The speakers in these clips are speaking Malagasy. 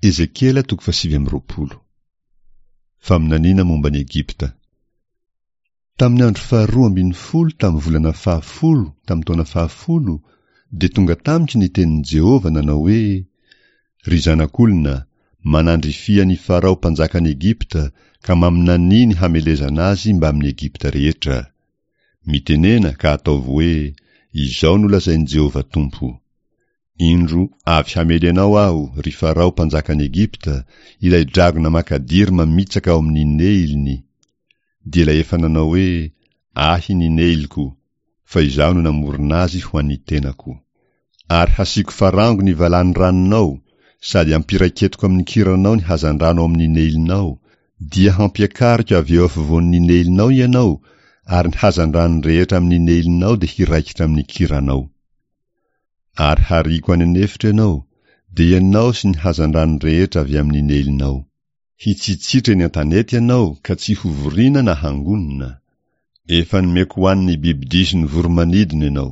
Ezekiela toko fahasivy amby 20. Faminaniana momba an'i Egypta. Tamin'ny andro faharoa ambin'ny folo tamin'ny volana fahafolo tamin'ny taona fahafolo dia tonga tamiko ny tenin'i Jehovah nanao hoe, Ry zanak'olona, manandrifia an'i Farao mpanjakan'i Egypta ka maminania ny hamelezana azy mbamin'i Egypta rehetra. Mitenena ka ataovy hoe, Izao no lazain'i Jehovah Tompo, Indro, avy hamely anao Aho, ry Farao mpanjakan'i Egypta, ilay dragona makadiry mamitsaka ao amin'ny Neiliny, dia ilay efa nanao hoe, Ahy ny Neilko, fa izaho no namorona azy ho an'ny tenako. Ary hasiako farango ny valany ranonao, sady hampiraiketiko amin'ny kiranao ny hazandrano ao amin'ny Neilinao, dia hampiakariko avy eo afovoan'ny Neilinao ianao, ary ny hazandrano rehetra amin'ny Neilinao dia hiraikitra amin'ny kiranao. Ary hariako any an'efitra ianao, dia ianao sy ny hazandrano rehetra avy amin'ny Neilinao. Hitsitsitra eny an-tanety ianao ka tsy hovoriana na hangonina. Efa nomeko ho an'ny bibidia sy ny voro-manidina ianao.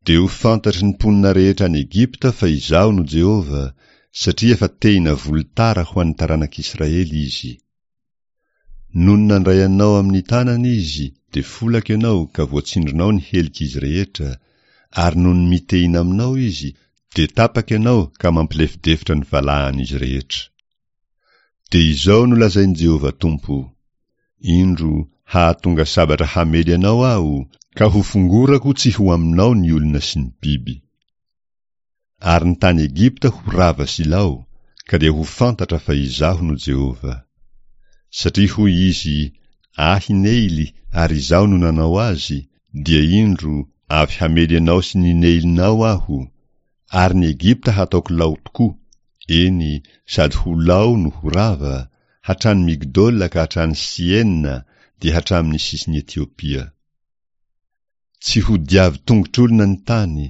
Dia ho fantatry ny mponina rehetra any Egypta fa Izaho no Jehovah, satria efa tehina volotara ho an'ny taranak'Israely izy. Nony nandray anao amin'ny tanany izy, dia folaka ianao ka voatsindronao ny helik'izy rehetra, ary nony mitehina aminao izy, dia tapaka ianao ka mampilefidefitra ny valahan'izy rehetra. Dia izao no lazain'i Jehovah Tompo, Indro, hahatonga sabatra hamely anao Aho, ka hofongorako tsy ho aminao ny olona sy ny biby. Ary ny tany Egypta ho rava sy lao, ka dia ho fantatra fa Izaho no Jehovah. Satria hoy izy, Ahy Neily, ary Izaho no nanao azy, dia indro, avy hamely anao sy ny Neilinao Aho, ary ny Egypta hataoko lao tokoa, eny, sady ho lao no ho rava, hatrany Migdola ka hatrany Siena, dia hatramin'ny sisin'i Etiopia. Tsy ho diavin-tongotr'olona ny tany,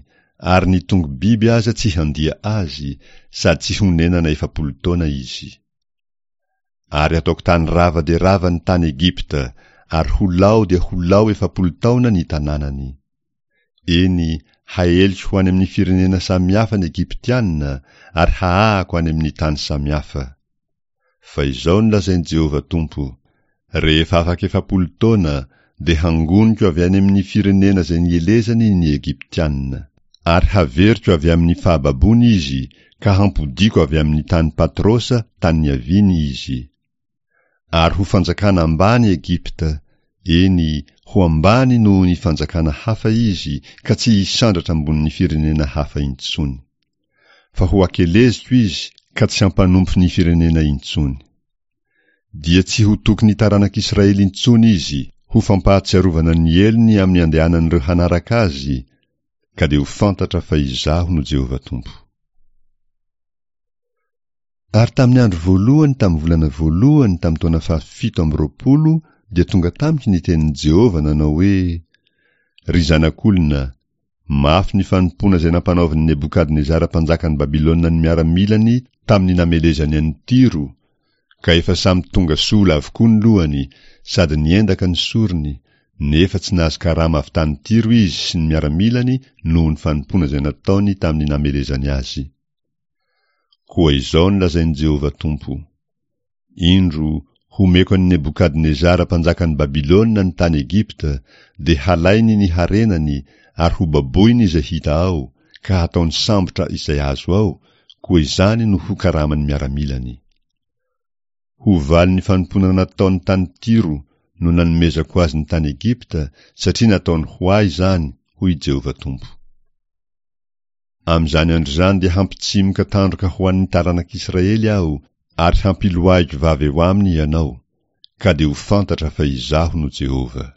ary ny tongo-biby aza tsy handia azy, sady tsy honenana 40 taona izy. Ary hataoko tany rava dia rava ny tany Egypta, ary ho lao dia ho lao 40 taona ny tanànany. Eny, haeliko ho any amin'ny firenena samihafa ny Egyptiana, ary hahahako any amin'ny tany samihafa. Fa izao no lazain'i Jehovah Tompo, Rehefa afaka 40 taona, dia hangoniko avy any amin'ny firenena izay nielezany ny Egyptiana. Ary haveriko avy amin'ny fahababoany izy, ka hampodiako avy amin'ny tany Patrosa, tany niaviany, izy. Ary ho fanjakana ambany Egypta, eny, ho ambany noho ny fanjakana hafa izy, ka tsy hisandratra ambonin'ny firenena hafa intsony. Fa ho akeleziko izy, ka tsy hampanompo ny firenena intsony. Dia tsy ho tokin'ny taranak'Israely intsony izy, ho fampahatsiarovana ny helony amin'ny andehanan'ireo hanaraka azy, ka dia ho fantatra fa Izaho no Jehovah Tompo. Ary tamin'ny andro voalohany tamin'ny volana voalohany tamin'ny taona fahafito amby 20 dia tonga tamiko ny tenin'i Jehovah nanao hoe, Ry zanak'olona, mafy ny fanompoana izay nampanaovin'i Nebokadnezara mpanjakan'i Babylona ny miaramilany tamin'ny namelezany an'i Tyro, ka efa samy tonga sola avokoa ny lohany sady niendaka ny sorony, nefa tsy nahazo karama avy tany Tyro izy sy ny miaramilany noho ny fanompoana izay nataony tamin'ny namelezany azy. Koa izao no lazain'i Jehovah Tompo, Indro, homeko an'i Nebokadnezara mpanjakan'i Babylona ny tany Egypta, dia halainy ny harenany ary hobaboiny izay hita ao, ka hataony sambotra izay azo ao, koa izany no ho karaman'ny miaramilany. Ho valin'ny fanompoana nataony tany Tyro no nanomezako azy ny tany Egypta, satria nataony ho ahy izany, hoy i Jehovah Tompo. Amin'izany andro izany dia hampitsimoka tandroka ho an'ny taranak'Israely Aho, ary hampiloahiko vava eo aminy ianao, ka dia ho fantatra fa Izaho no Jehovah.